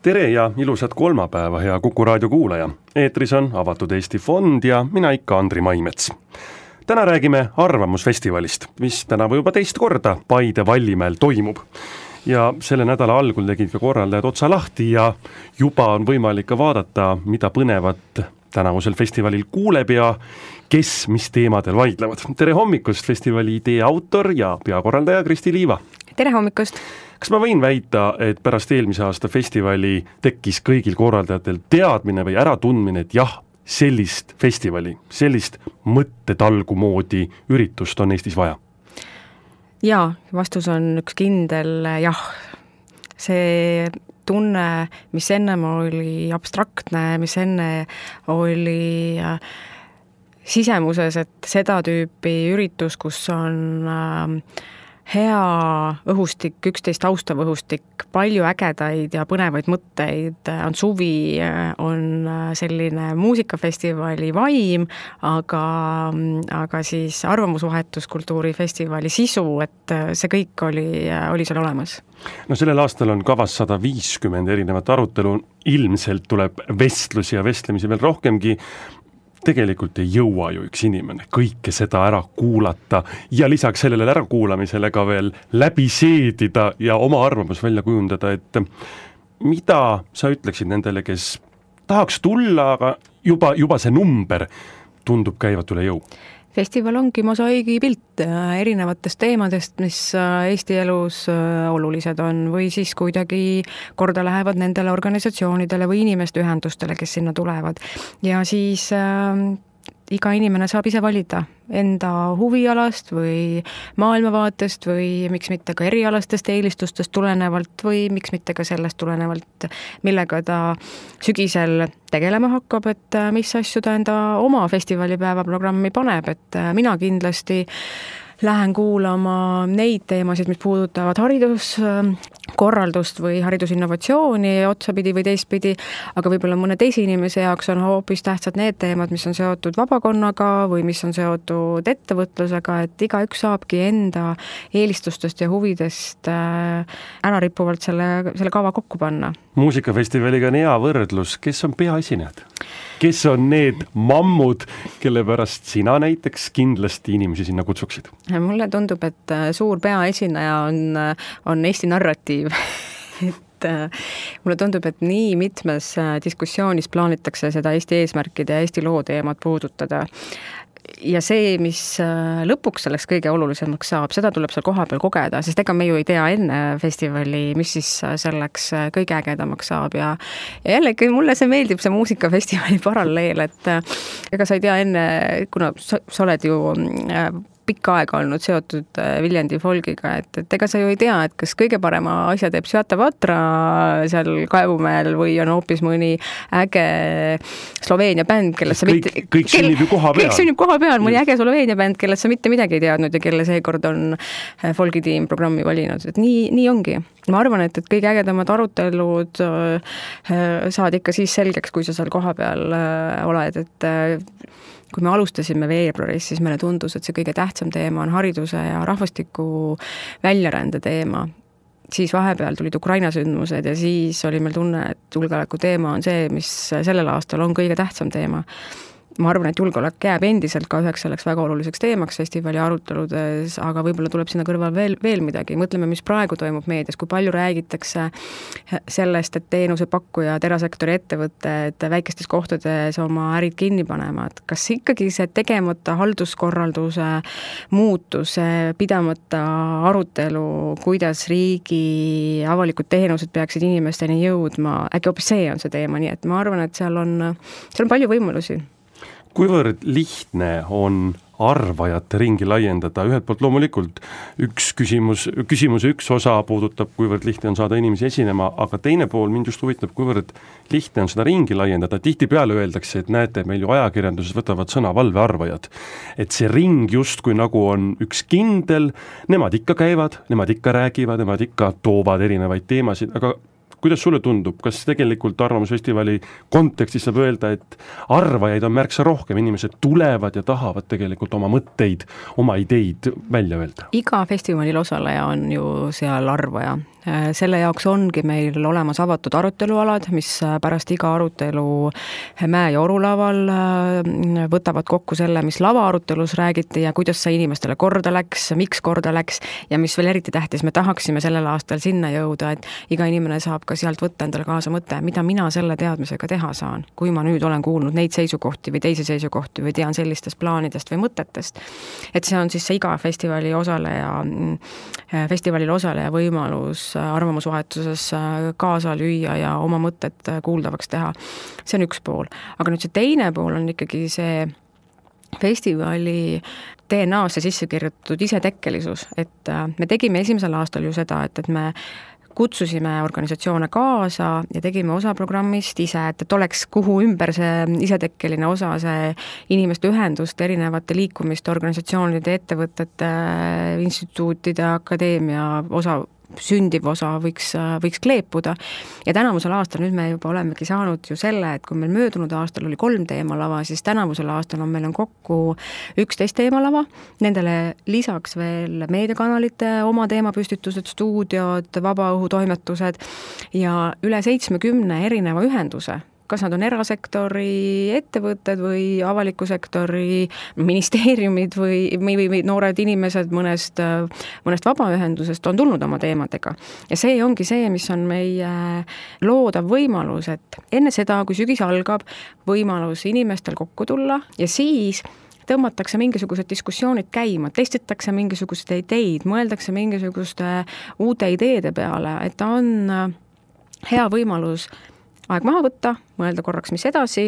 Tere ja ilusat kolmapäeva, hea Kuku raadio kuulaja. Eetris on Avatud Eesti Fond ja mina ikka Andri Maimets. Täna räägime Arvamusfestivalist, mis tänavu juba teist korda Paide Vallimäel toimub. Ja selle nädala algul tegid ka korraldajad otsa lahti ja juba on võimalik ka vaadata, mida põnevat tänavusel festivalil kuuleb ja kes mis teemadel vaidlevad. Tere hommikust, festivali idee autor ja peakorraldaja Kristi Liiva. Tere hommikust! Kas ma võin väita, et pärast eelmise aasta festivali tekkis kõigil korraldajatel teadmine või äratundmine, et jah, sellist festivali, sellist mõttetalgu moodi üritust on Eestis vaja? Jaa, vastus on üks kindel jah. See tunne, mis ennem oli abstraktne, mis enne oli sisemuses, et seda tüüpi üritus, kus on hea õhustik, üksteist austav õhustik, palju ägedaid ja põnevaid mõtteid, on suvi, on selline muusikafestivali vaim, aga siis arvamusvahetuskultuurifestivali sisu, et see kõik oli seal olemas. No sellel aastal on kavas 150 erinevat arutelu, ilmselt tuleb vestlusi ja vestlemisi veel rohkemgi. Tegelikult ei jõua ju üks inimene kõike seda ära kuulata ja lisaks sellele ärakuulamisele ka veel läbi seedida ja oma arvamus välja kujundada, et mida sa ütleksid nendele, kes tahaks tulla, aga juba see number tundub käivat üle jõu? Festival ongi mosaigi pilt erinevatest teemadest, mis Eesti elus olulised on või siis kuidagi korda lähevad nendele organisatsioonidele või inimeste ühendustele, kes sinna tulevad. Ja siis iga inimene saab ise valida enda huvialast või maailmavaatest või miks mitte ka erialastest eelistustest tulenevalt või miks mitte ka sellest tulenevalt, millega ta sügisel tegelema hakkab, et mis asju ta enda oma festivalipäeva programmi paneb, et mina kindlasti lähen kuulama neid teemasid, mis puudutavad hariduskorraldust või haridusinnovatsiooni otsapidi või teistpidi, aga võib-olla mõne teise inimese jaoks on hoopis tähtsad need teemad, mis on seotud vabakonnaga või mis on seotud ettevõtlusega, et igaüks saabki enda eelistustest ja huvidest ära rippuvalt selle kava kokku panna. Muusikafestivaliga on hea võrdlus, kes on peaesinejad? Kes on need mammud, kelle pärast sina näiteks kindlasti inimesi sinna kutsuksid? Mulle tundub, et suur peaesineja on Eesti narratiiv. Mulle tundub, et nii mitmes diskussioonis plaanitakse seda Eesti eesmärkide ja Eesti loo teemat puudutada. Ja see, mis lõpuks selleks kõige olulisemaks saab, seda tuleb seal kohapeal kogeda, sest ega me ju ei tea enne festivali, mis siis selleks kõige ägedamaks saab ja jällegi mulle see meeldib, see muusikafestivali paralleel, et ega sa ei tea enne, kuna sa oled ju pikka aega olnud seotud Viljandi folgiga, et ega sa ju ei tea, et kas kõige parema asja teeb Svjata Vatra seal Kaevumäel või on hoopis mõni äge Sloveenia bänd, kellest sa kõik sünnib ju koha peal. Kõik sünnib koha peal, mõni äge Sloveenia bänd, kellest sa mitte midagi ei teadnud ja kelle seekord on folgitiim programmi valinud, et nii ongi. Ma arvan, et kõige ägedamad arutelud saad ikka siis selgeks, kui sa seal koha peal oled, et kui me alustasime veebruaris, siis meile tundus, et see kõige tähtsam teema on hariduse ja rahvastiku väljarände teema. Siis vahepeal tulid Ukraina sündmused ja siis oli meil tunne, et julgeoleku teema on see, mis sellel aastal on kõige tähtsam teema. Ma arvan, et julgeolek jääb endiselt ka üheks selleks väga oluliseks teemaks festivali aruteludes, aga võib-olla tuleb sinna kõrval veel midagi. Mõtleme, mis praegu toimub meedias, kui palju räägitakse sellest, et teenusepakkujad, erasektori ettevõtted väikestes kohtades oma ärid kinni panevad. Kas ikkagi see tegemata halduskorralduse muutus, pidamata arutelu, kuidas riigi avalikud teenused peaksid inimesteni jõudma, äkki hoopis see on see teema, nii et ma arvan, et seal on palju võimalusi. Kuivõrd lihtne on arvajate ringi laiendada? Ühelt poolt loomulikult küsimuse üks osa puudutab, kuivõrd lihtne on saada inimesi esinema, aga teine pool mind just huvitab, kuivõrd lihtne on seda ringi laiendada. Tihtipeale öeldakse, et näete, meil ju ajakirjanduses võtavad sõna valvearvajad. Et see ring justkui nagu on üks kindel, nemad ikka käivad, nemad ikka räägivad, nemad ikka toovad erinevaid teemasid, aga kuidas sulle tundub, kas tegelikult Arvamusfestivali kontekstis saab öelda, et arvajaid on märksa rohkem, inimesed tulevad ja tahavad tegelikult oma mõtteid, oma ideid välja öelda? Iga festivalil osaleja on ju seal arvaja. Selle jaoks ongi meil olemas avatud arutelualad, mis pärast iga arutelu Mäe- ja Orulaval võtavad kokku selle, mis lavaarutelus räägiti ja kuidas see inimestele korda läks, miks korda läks ja mis veel eriti tähtis, me tahaksime sellel aastal sinna jõuda, et iga inimene saab ka sealt võtta endale kaasa mõte, mida mina selle teadmisega teha saan, kui ma nüüd olen kuulnud neid seisukohti või teisi seisukohti või tean sellistest plaanidest või mõtetest. Et see on siis see iga festivalil osaleja võimalus arvamusvahetuses kaasa lüüa ja oma mõtted kuuldavaks teha. See on üks pool. Aga nüüd see teine pool on ikkagi see festivali DNA-sse sisse kirjutatud isetekkelisus, et me tegime esimesel aastal ju seda, et me kutsusime organisatsioone kaasa ja tegime osa programmist ise, et oleks kuhu ümber see isetekkeline osa, see inimeste ühendust, erinevate liikumiste, organisatsioonide, ettevõtete, instituutide, akadeemia osa, sündiv osa võiks kleepuda. Ja tänavusel aastal nüüd me juba olemegi saanud ju selle, et kui meil möödunud aastal oli 3 teemalava, siis tänavusel aastal meil on kokku 11 teemalava, nendele lisaks veel meediakanalite oma teemapüstitused, stuudiod, vabaõhutoimetused ja üle 70 erineva ühenduse. Kas nad on erasektori ettevõtted või avaliku sektori ministeeriumid või noored inimesed mõnest vabaühendusest on tulnud oma teemadega. Ja see ongi see, mis on meie loodav võimalus, et enne seda, kui sügis algab, võimalus inimestel kokku tulla ja siis tõmmatakse mingisugused diskussioonid käima, testitakse mingisuguseid ideid, mõeldakse mingisuguste uute ideede peale, et ta on hea võimalus aeg maha võtta, mõelda korraks, mis edasi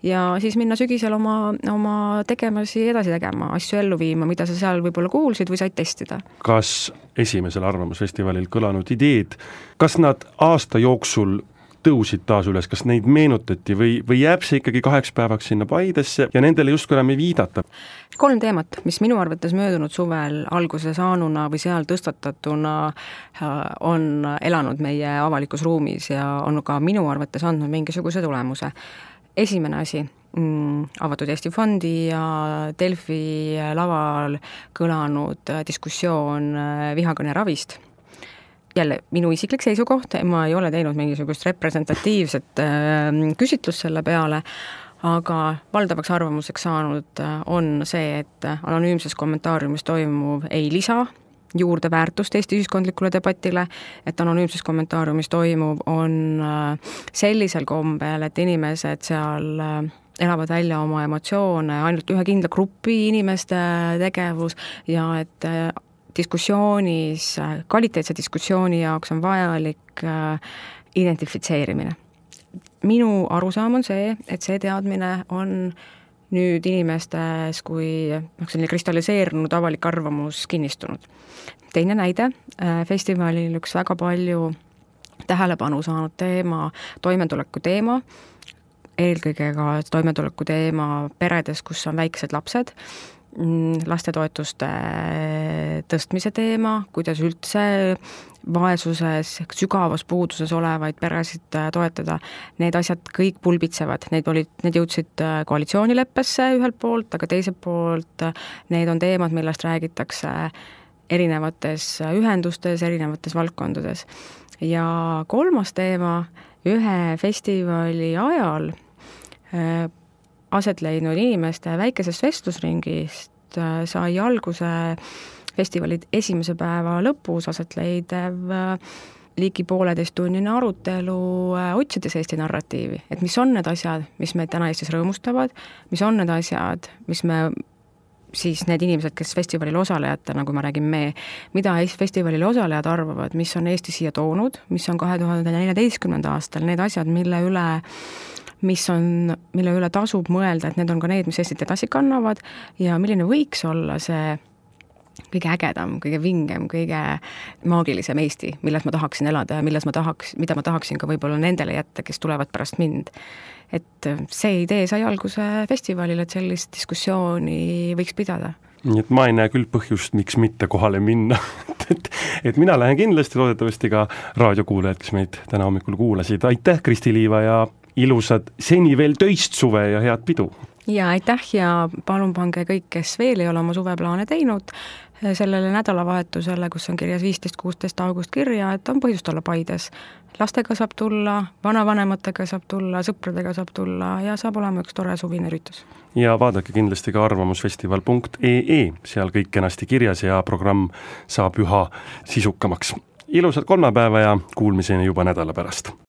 ja siis minna sügisel oma tegemasi edasi tegema, asju ellu viima, mida sa seal võib-olla kuulsid või said testida. Kas esimesel arvamusfestivalil kõlanud ideed, kas nad aasta jooksul tõusid taas üles, kas neid meenutati või jääb see ikkagi 2 päevaks sinna Paidesse ja nendele justkui enam ei viidata? 3 teemat, mis minu arvates möödunud suvel alguse saanuna või seal tõstatatuna on elanud meie avalikus ruumis ja on ka minu arvates andnud mingisuguse tulemuse. Esimene asi, Avatud Eesti Fondi ja Delfi laval kõlanud diskussioon vihakõne ravist. Jälle, minu isiklik seisukoht, ma ei ole teinud mingisugust representatiivset küsitlust selle peale, aga valdavaks arvamuseks saanud on see, et anonüümses kommentaariumis toimuv ei lisa juurde väärtust Eesti ühiskondlikule debatile, et anonüümses kommentaariumis toimuv on sellisel kombel, et inimesed seal elavad välja oma emotsioone, ainult ühe kindla grupi inimeste tegevus ja et diskussioonis, kvaliteetse diskussiooni jaoks on vajalik identifitseerimine. Minu arusaam on see, et see teadmine on nüüd inimestes kui selline kristalliseerunud avalik arvamus kinnistunud. Teine näide, festivalil üks väga palju tähelepanu saanud teema, toimetuleku teema, eelkõige ka toimetuleku teema peredes, kus on väiksed lapsed, lastetoetuste tõstmise teema, kuidas üldse vaesuses, sügavas puuduses olevaid peresid toetada, need asjad kõik pulbitsevad, need jõudsid koalitsioonileppesse ühelt poolt, aga teiselt poolt need on teemad, millest räägitakse erinevates ühendustes, erinevates valdkondades. Ja 3. teema, ühe festivali ajal aset leidnud inimeste väikesest vestlusringist sai alguse festivali esimese päeva lõpus aset leidev ligi 1,5-tunnine arutelu otsides Eesti narratiivi, et mis on need asjad, mis meid täna Eestis rõõmustavad, mis on need asjad, mis me siis need inimesed, kes festivalil osalejatena, kui ma räägin mida festivalil osalejad arvavad, mis on Eesti siia toonud, mis on 2014. aastal need asjad, mille üle tasub mõelda, et need on ka need, mis Eestit edasi kannavad ja milline võiks olla see kõige ägedam, kõige vingem, kõige maagilisem Eesti, milles ma tahaksin elada ja mida ma tahaksin ka võib-olla nendele jätta, kes tulevad pärast mind. Et see idee sai alguse festivalil, et sellist diskussiooni võiks pidada. Nii et ma ei näe küll põhjust, miks mitte kohale minna. et mina lähen kindlasti, loodetavasti ka raadiokuulajad, kes meid täna hommikul kuulasid. Aitäh, Kristi Liiva ja ilusad seni veel töist suve ja head pidu! ja aitäh ja palun pange kõik, kes veel ei ole oma suveplaane teinud, sellele nädalavahetusele, kus on kirjas 15-16 august kirja, et on põhjust olla Paides. Lastega saab tulla, vanavanematega saab tulla, sõpradega saab tulla ja saab olema üks tore suvine üritus. Ja vaadake kindlasti ka arvamusfestival.ee, seal kõik kenasti kirjas ja programm saab üha sisukamaks. Ilusat kolmapäeva ja kuulmiseni juba nädala pärast!